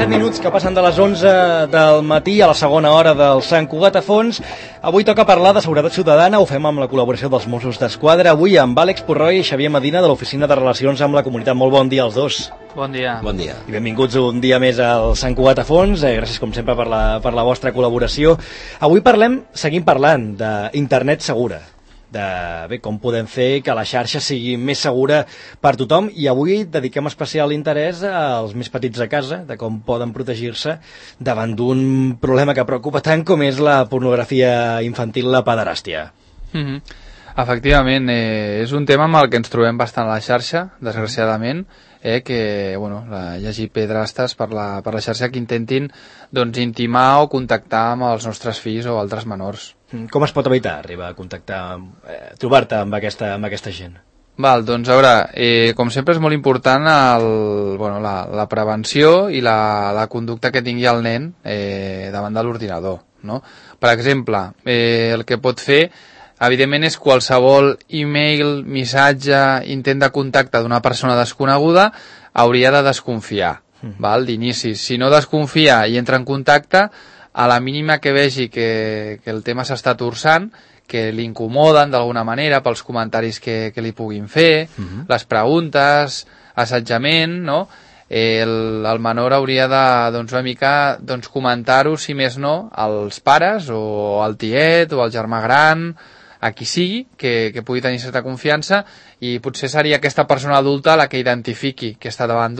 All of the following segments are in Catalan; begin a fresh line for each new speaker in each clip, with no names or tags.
7 minuts que passen de les 11 del matí a la segona hora del Sant Cugat a Fons. Avui toca parlar de seguretat ciutadana, ho fem amb la col·laboració dels Mossos d'Esquadra, avui amb Àlex Purroy i Xavier Medina de l'Oficina de Relacions amb la Comunitat. Molt bon dia als dos.
Bon dia.
Bon dia.
I benvinguts un dia més al Sant Cugat a Fons. Gràcies com sempre per la vostra col·laboració. Avui seguim parlant d'internet segura, de com podem fer que la xarxa sigui més segura per tothom, i avui dediquem especial interès als més petits de casa, de com poden protegir-se davant d'un problema que preocupa tant com és la pornografia infantil, la pederàstia.
Efectivament, és un tema amb el que ens trobem bastant a la xarxa, desgraciadament, que hi hagi pederastes per la xarxa que intentin intimar o contactar amb els nostres fills o altres menors.
Com es pot evitar arribar a contactar, trobar-te amb aquesta gent?
Doncs a veure, com sempre és molt important la prevenció i la conducta que tingui el nen davant de l'ordinador, no? Per exemple, el que pot fer evidentment és qualsevol e-mail, missatge, intent de contacte d'una persona desconeguda, hauria de desconfiar, d'inici. Si no desconfia i entra en contacte, a la mínima que vegi que el tema s'està torçant, que li incomoden d'alguna manera pels comentaris que li puguin fer, les preguntes, assetjament, no? El menor hauria de una mica comentar-ho, si més no, als pares o al tiet o al germà gran, a qui sigui, que pugui tenir certa confiança, i potser seria aquesta persona adulta la que identifiqui que està davant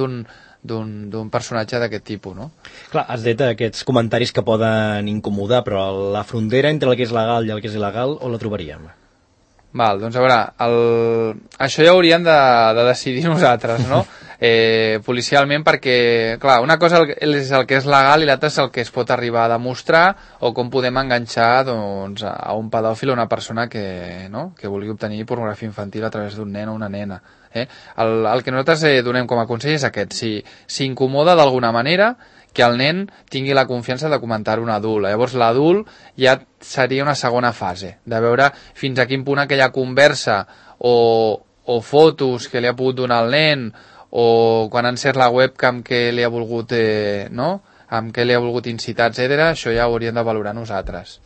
d'un personatge d'aquest tipus, no?
Clar, has dit aquests comentaris que poden incomodar, però la frontera entre el que és legal i el que és il·legal, on la trobaríem?
Doncs a veure, això ja hauríem de decidir nosaltres, no? Policialment, perquè, clar, una cosa és el que és legal i l'altra és el que es pot arribar a demostrar, o com podem enganxar a un pedòfil o una persona que vulgui obtenir pornografia infantil a través d'un nen o una nena. El que nosaltres donem com a consell és aquest: si s'incomoda d'alguna manera, que el nen tingui la confiança de comentar un adult. Llavors l'adult ja seria una segona fase, de veure fins a quin punt aquella conversa o fotos que li ha pogut donar el nen, o quan ha encès la webcam que li ha volgut, amb què li ha volgut incitar, etc. Això ja ho hauríem de valorar nosaltres.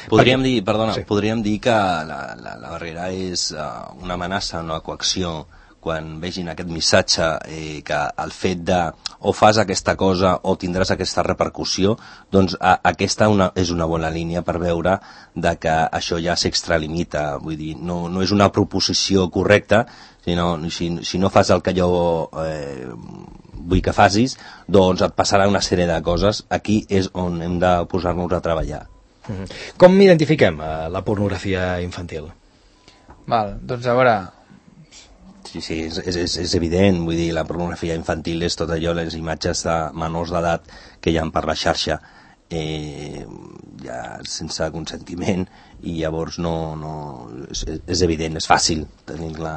Podríem dir que la barrera és una amenaça, una coacció, quan vegin aquest missatge, que el fet de o fas aquesta cosa o tindràs aquesta repercussió, doncs aquesta és una bona línia per veure que això ja s'extralimita. Vull dir, no és una proposició correcta, sinó si no fas el que jo vull que facis, doncs et passarà una sèrie de coses. Aquí és on hem de posar-nos a treballar.
Com identifiquem la pornografia infantil?
Doncs a veure...
Sí, és evident. Vull dir, la pornografia infantil és tot allò, les imatges de menors d'edat que hi ha per la xarxa, ja sense consentiment, i llavors és evident, és fàcil tenir-la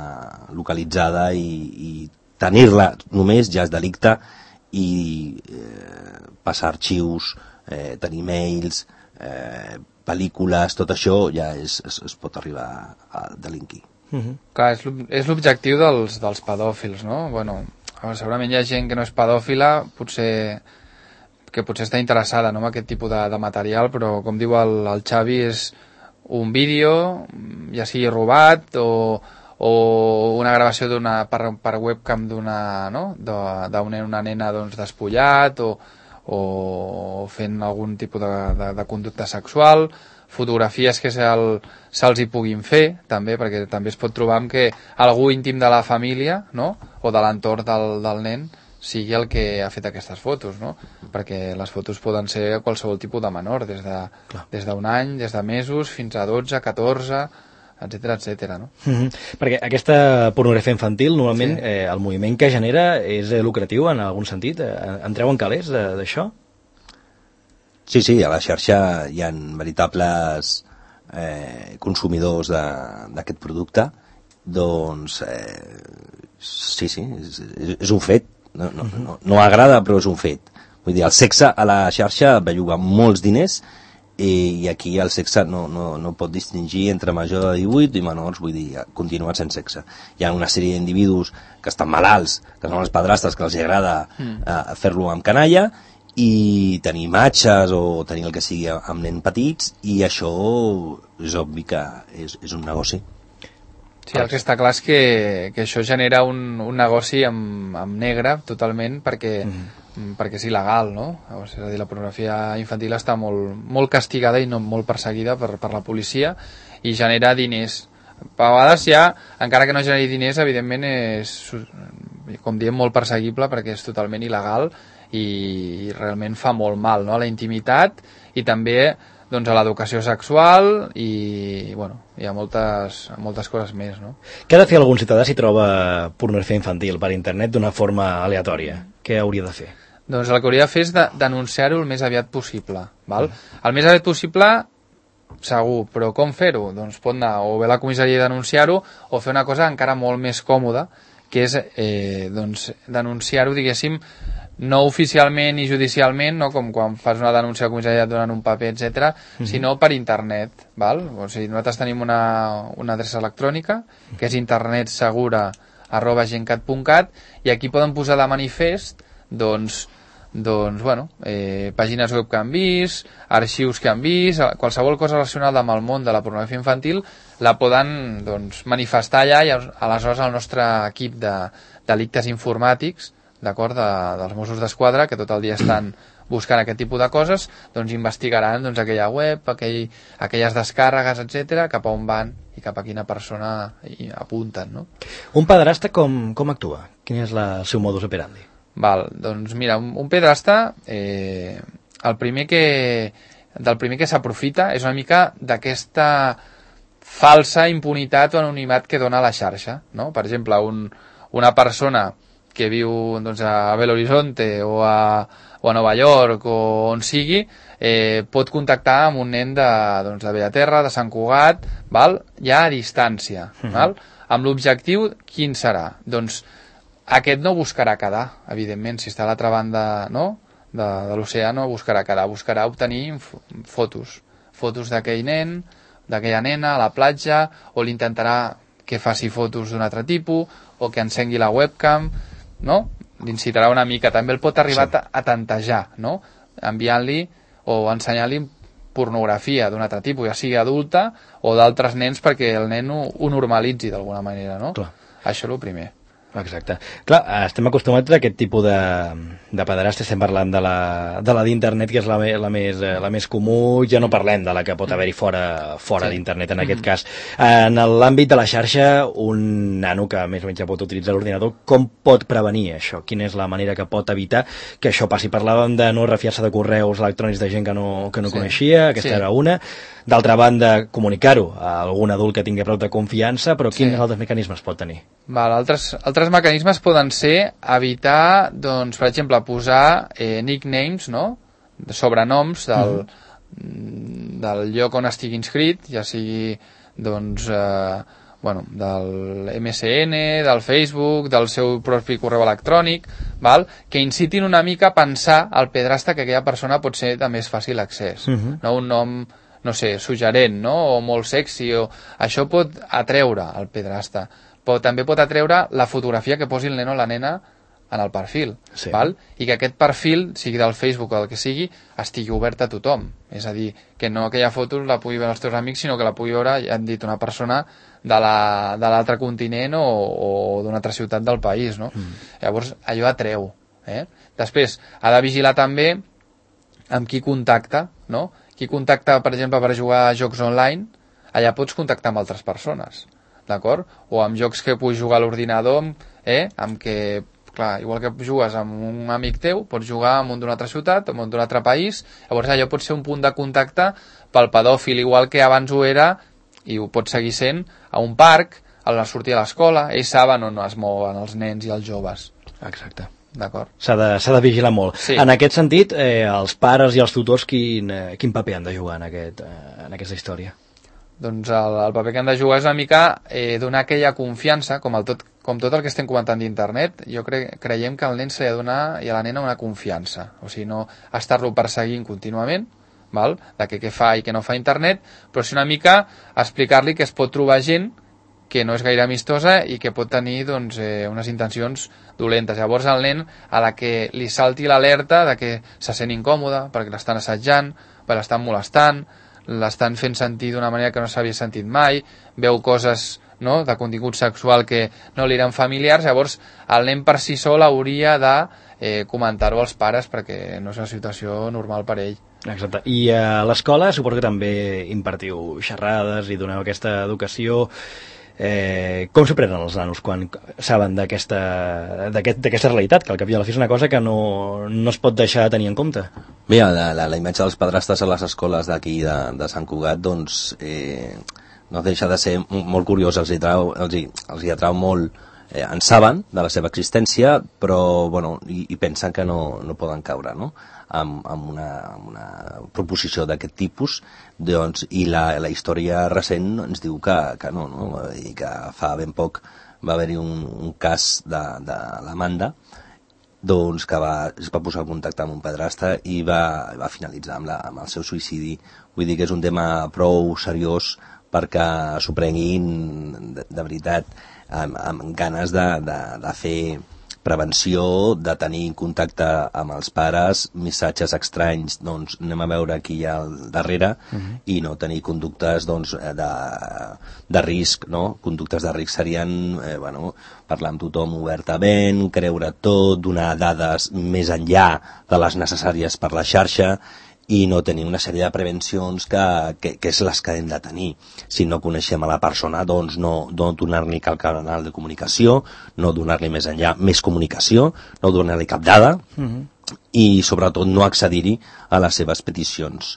localitzada, i tenir-la només ja és delicte, i passar arxius, tenir mails, pel·lícules, tot això ja es pot arribar a delinquir.
Clar, és l'objectiu dels pedòfils, no? Segurament hi ha gent que no és pedòfila, que potser està interessada, no, en aquest tipus de material, però com diu el Xavi, és un vídeo, ja sigui robat o una gravació per webcam d'un nen o una nena despullat, o fent algun tipus de conducta sexual, fotografies que se'ls hi puguin fer, també, perquè també es pot trobar amb que algú íntim de la família, no?, o de l'entorn del nen sigui el que ha fet aquestes fotos, no? Perquè les fotos poden ser qualsevol tipus de menor, des d'un any, des de mesos, fins a 12, 14, etc., no?
Perquè aquesta pornografia infantil, normalment, el moviment que genera és lucratiu en algun sentit? Entreu en calés d'això?
Sí, a la xarxa hi ha veritables consumidors d'aquest producte. Doncs sí, és un fet. No agrada, però és un fet. Vull dir, el sexe a la xarxa belluga molts diners, i aquí el sexe no pot distingir entre major de 18 i menors, vull dir, continuen sent sexe. Hi ha una sèrie d'individus que estan malalts, que són els padrastres, que els agrada fer-lo amb canalla, i tenir imatges o tenir el que sigui amb nens petits, i això és obvi que és un negoci.
Sí, el que està clar és que això genera un negoci amb negre totalment perquè és il·legal, no? És a dir, la pornografia infantil està molt castigada i no molt perseguida per la policia i genera diners. A vegades ja, encara que no generi diners, evidentment és, com diem, molt perseguible perquè és totalment il·legal i realment fa molt mal, no? A la intimitat i també doncs, a l'educació sexual i bueno, hi ha moltes coses més, no?
Què ha de fer algun ciutadà si troba pornografia infantil per internet d'una forma aleatòria? Què hauria de fer?
Doncs el que hauria de fer és denunciar-ho el més aviat possible, val? El més aviat possible segur, però com fer-ho? Doncs pot anar o bé a la comissaria i denunciar-ho o fer una cosa encara molt més còmoda, que és doncs, denunciar-ho, diguéssim, no oficialment i judicialment, no com quan fas una denúncia a la comissaria et donen un paper, etc, sinó per internet, val? O sigui, nosaltres tenim una adreça electrònica que és internetsegura@gencat.cat i aquí poden posar de manifest doncs bueno, pàgines web que han vist, arxius que han vist, qualsevol cosa relacionada amb el món de la pornografia infantil la poden doncs, manifestar allà i aleshores el nostre equip de delictes informàtics, d'acord, dels Mossos d'Esquadra, que tot el dia estan buscant aquest tipus de coses, doncs investigaran doncs, aquella web, aquelles descàrregues, etc, cap a on van i cap a quina persona hi apunten, no?
Un pederasta com actua? Quin és el seu modus operandi?
Val, doncs mira, un pederasta del primer que s'aprofita és una mica d'aquesta falsa impunitat o anonimat que dona la xarxa, no? Per exemple, una persona que viu doncs, a Belo Horizonte o a Nova York o on sigui, pot contactar amb un nen de Bellaterra, de Sant Cugat, val? Ja a distància, val? Amb l'objectiu, quin serà? Doncs aquest no buscarà quedar, evidentment, si està a l'altra banda, no? de l'oceà no buscarà quedar, buscarà obtenir fotos d'aquell nen, d'aquella nena a la platja, o l'intentarà que faci fotos d'un altre tipus, o que encengui la webcam, no? L'incitarà una mica, també el pot arribar a tantejar, no? Enviant-li o ensenyant-li pornografia d'un altre tipus, ja sigui adulta o d'altres nens, perquè el nen ho normalitzi d'alguna manera, no?
Clar.
Això és el primer.
Exacte. Clar, estem acostumats a aquest tipus de pederasta, estem parlant de la d'internet, que és la més comú, ja no parlem de la que pot haver-hi fora d'internet, en aquest cas. En l'àmbit de la xarxa, un nano que més o menys ja pot utilitzar l'ordinador, com pot prevenir això? Quina és la manera que pot evitar que això passi? Parlàvem de no refiar-se de correus electrònics de gent que no coneixia, aquesta era una. D'altra banda, comunicar-ho a algun adult que tingui prou de confiança, però quins altres mecanismes pot tenir?
Val, altres mecanismes poden ser evitar, doncs, per exemple, posar nicknames, no? Sobrenoms del lloc on estigui inscrit, ja sigui doncs, del MSN, del Facebook, del seu propi correu electrònic, val? Que incitin una mica a pensar al pederasta que aquella persona pot ser de més fàcil accés. No? Un nom, no sé, suggerent, no? O molt sexy, això pot atreure al pederasta. Però també pot atreure la fotografia que posi el nen o la nena en el perfil, val? I que aquest perfil, sigui del Facebook o del que sigui, estigui obert a tothom. És a dir, que no aquella foto la pugui veure els teus amics, sinó que la pugui veure, ja hem dit, una persona de l'altre continent o d'una altra ciutat del país, no? Llavors, allò atreu. Després, ha de vigilar també amb qui contacta, no? Qui contacta, per exemple, per jugar a jocs online, allà pots contactar amb altres persones, d'acord? O amb jocs que puguis jugar a l'ordinador, amb què, clar, igual que jugues amb un amic teu, pots jugar amb un d'una altra ciutat, amb un d'un altre país, llavors allò pot ser un punt de contacte pel pedòfil, igual que abans ho era, i ho pot seguir sent, a un parc, a sortir a l'escola, ells saben on es mouen els nens i els joves.
Exacte.
D'acord.
S'ha de vigilar molt. Sí. En aquest sentit, els pares i els tutors quin paper han de jugar en aquesta història?
Doncs el paper que han de jugar és una mica donar aquella confiança, com tot el que estem comentant d'internet. Jo creiem que al nen se li ha de donar i a la nena una confiança, o sigui, no estar-lo perseguint contínuament, val? De què fa i què no fa internet, però sí una mica explicar-li que es pot trobar gent que no és gaire amistosa i que pot tenir doncs, unes intencions dolentes. Llavors el nen, a la que li salti l'alerta de que se sent incòmode perquè l'estan assetjant, perquè l'estan molestant, l'estan fent sentir d'una manera que no s'havia sentit mai, veu coses, no?, de contingut sexual que no li eren familiars, llavors el nen per si sol hauria de comentar-ho als pares perquè no és una situació normal per ell.
Exacte. I a l'escola suposo que també impartiu xerrades i doneu aquesta educació. Com s'ho prenen els nanos quan saben d'aquesta realitat, que al cap i a la fi és una cosa que no es pot deixar de tenir en compte?
Bé, la imatge dels padrastres a les escoles d'aquí de Sant Cugat doncs no deixa de ser molt curiós, els hi atrau molt, en saben de la seva existència, però bueno, i pensen que no poden caure, no?, amb una proposició d'aquest tipus, doncs, i la història recent ens diu que no, i que fa ben poc va haver-hi un cas de l'Amanda, doncs, que es va posar en contacte amb un padrastre i va finalitzar amb el seu suïcidi. Vull dir que és un tema prou seriós perquè s'ho prenguin de veritat, amb ganes de fer prevenció, de tenir contacte amb els pares, missatges estranys, doncs anem a veure qui hi ha al darrere, i no tenir conductes doncs, de risc, no? Conductes de risc serien parlar amb tothom obertament, creure tot, donar dades més enllà de les necessàries per la xarxa, i no tenir una sèrie de prevencions que és les que hem de tenir. Si no coneixem a la persona, doncs no donar-li cap canal de comunicació, no donar-li més enllà més comunicació, no donar-li cap dada, i sobretot no accedir-hi a les seves peticions,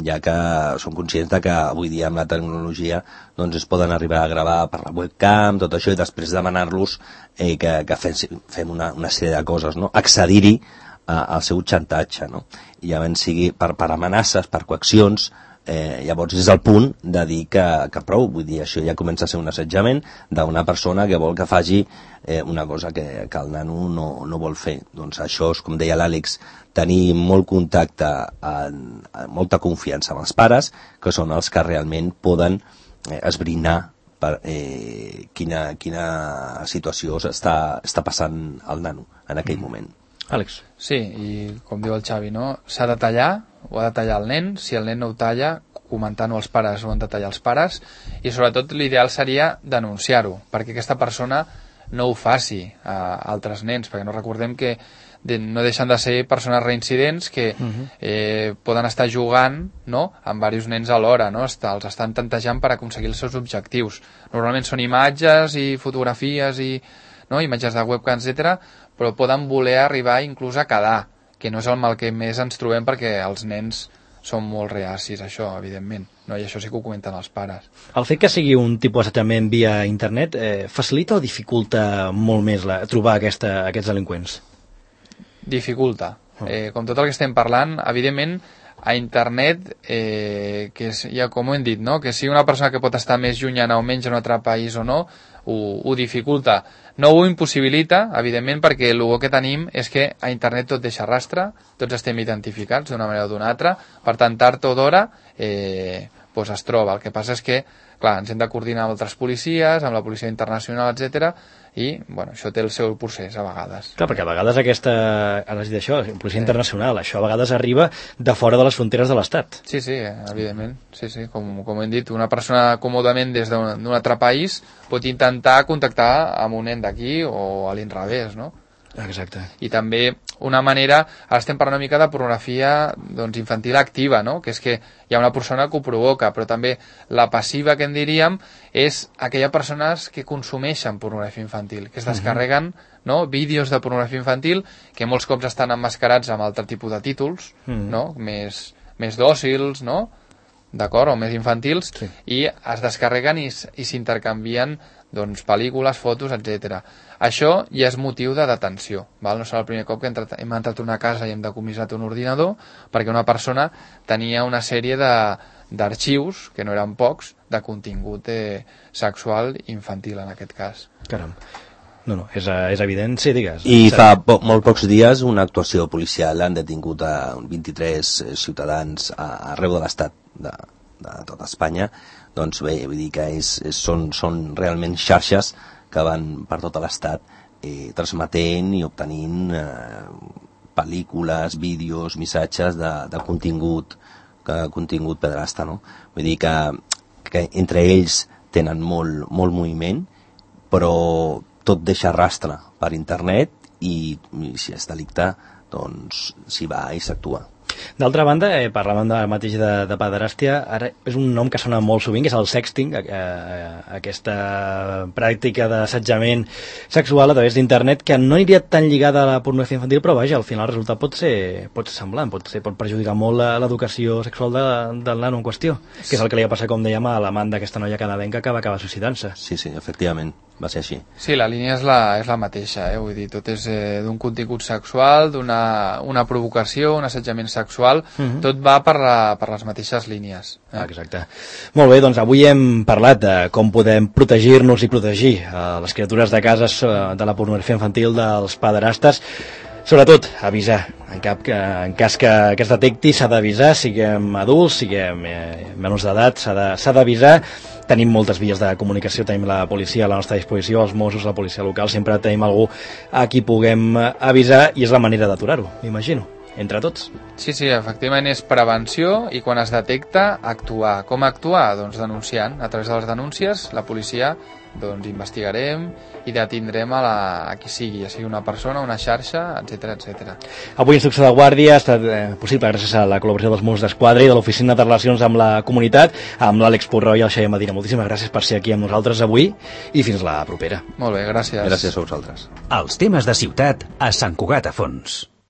ja que som conscients que avui dia amb la tecnologia doncs es poden arribar a gravar per la webcam, tot això, i després demanar-los que fem una sèrie de coses, no? Accedir-hi al seu xantatge, no? I llavors sigui per amenaces, per coaccions, llavors és el punt de dir que prou, vull dir, això ja comença a ser un assetjament d'una persona que vol que faci una cosa que el nano no vol fer. Doncs això és, com deia l'Àlex, tenir molt contacte, molta confiança amb els pares, que són els que realment poden esbrinar per quina situació està passant al nano en aquell moment.
Àlex.
Sí, i com diu el Xavi, no? S'ha de tallar, ho ha de tallar el nen. Si el nen no ho talla, comentant-ho als pares, ho han de tallar els pares, i sobretot l'ideal seria denunciar-ho, perquè aquesta persona no ho faci a altres nens, perquè no recordem que no deixen de ser persones reincidents que poden estar jugant, no?, amb diversos nens alhora, no? Els estan tantejant per aconseguir els seus objectius. Normalment són imatges i fotografies i imatges de webcam, etc., però poden voler arribar inclús a quedar, que no és el mal que més ens trobem, perquè els nens són molt reacis a això, evidentment, no? I això sí que ho comenten els pares.
El fet que sigui un tipus d'assetjament via internet facilita o dificulta molt més trobar aquests delinqüents?
Dificulta. Com tot el que estem parlant, evidentment, a internet, que ja com ho hem dit, no?, que sigui una persona que pot estar més llunyana o menys en un altre país o no, ho dificulta. No ho impossibilita, evidentment, perquè el bo que tenim és que a internet tot deixa rastre, tots estem identificats d'una manera o d'una altra, per tant, tard o d'hora es troba. El que passa és que, clar, ens hem de coordinar amb altres policies, amb la policia internacional, etc. I, això té el seu procés, a vegades.
Clar, perquè a vegades ara has dit això, policia internacional, això a vegades arriba de fora de les fronteres de l'Estat.
Sí, evidentment, sí, com hem dit, una persona còmodament des d'un altre país pot intentar contactar amb un nen d'aquí o a l'inrevés, no?
Exacte.
I també una manera, ara estem parlant una mica de pornografia infantil activa, no? Que és que hi ha una persona que ho provoca, però també la passiva, que en diríem, és aquelles persones que consumeixen pornografia infantil, que es descarreguen vídeos de pornografia infantil que molts cops estan emmascarats amb altre tipus de títols, no? Més dòcils, no? D'acord, o més infantils, sí. I es descarreguen i s'intercanvien pel·lícules, fotos, etc. Això ja és motiu de detenció, val? No serà el primer cop que hem entrat a una casa i hem decomissat un ordinador perquè una persona tenia una sèrie d'arxius, que no eren pocs, de contingut sexual infantil, en aquest cas.
Caram. No, és evident, sí, digues.
I fa molt pocs dies una actuació policial han detingut a 23 ciutadans arreu de l'estat, de tota Espanya, doncs bé, vull dir que són realment xarxes que van per tot l'estat transmetent i obtenint pel·lícules, vídeos, missatges de contingut pederasta, no? Vull dir que entre ells tenen molt moviment, però tot deixa rastre per internet i si és delicte, doncs s'hi va i s'actua.
D'altra banda, parlàvem mateix de pederàstia, ara és un nom que sona molt sovint, que és el sexting, aquesta pràctica d'assetjament sexual a través d'internet, que no aniria tan lligada a la pornografia infantil, però vaja, al final el resultat pot ser semblant, pot perjudicar molt l'educació sexual del nano en qüestió, que és el que li va passar, com dèiem, a l'amant d'aquesta noia canadenca que va acabar suïcidant-se.
Sí, efectivament, va ser així.
Sí, la línia és la mateixa, vull dir, tot és d'un contingut sexual, d'una provocació, un assetjament sexual, tot va per les mateixes línies.
Exacte. Molt bé, doncs avui hem parlat de com podem protegir-nos i protegir les criatures de casa de la pornografia infantil dels pederastes. Sobretot, avisar. En cas que es detecti, s'ha d'avisar, siguem adults, siguem menors d'edat, s'ha d'avisar. Tenim moltes vies de comunicació, tenim la policia a la nostra disposició, els Mossos, la policia local, sempre tenim algú a qui puguem avisar i és la manera d'aturar-ho, m'imagino, entre tots.
Sí, efectivament és prevenció i quan es detecta, actuar. Com actuar? Doncs denunciant. A través de les denúncies, la policia doncs investigarem i detindrem a qui sigui, ja sigui una persona, una xarxa, etc.
Avui Instrucció de Guàrdia ha estat possible gràcies a la col·laboració dels Mossos d'Esquadra i de l'Oficina de Relacions amb la Comunitat, amb l'Àlex Porró i el Xavier Medina. Moltíssimes gràcies per ser aquí amb nosaltres avui i fins la propera.
Molt bé, gràcies.
Gràcies a vosaltres.
Els temes de ciutat a Sant Cugat a Fons.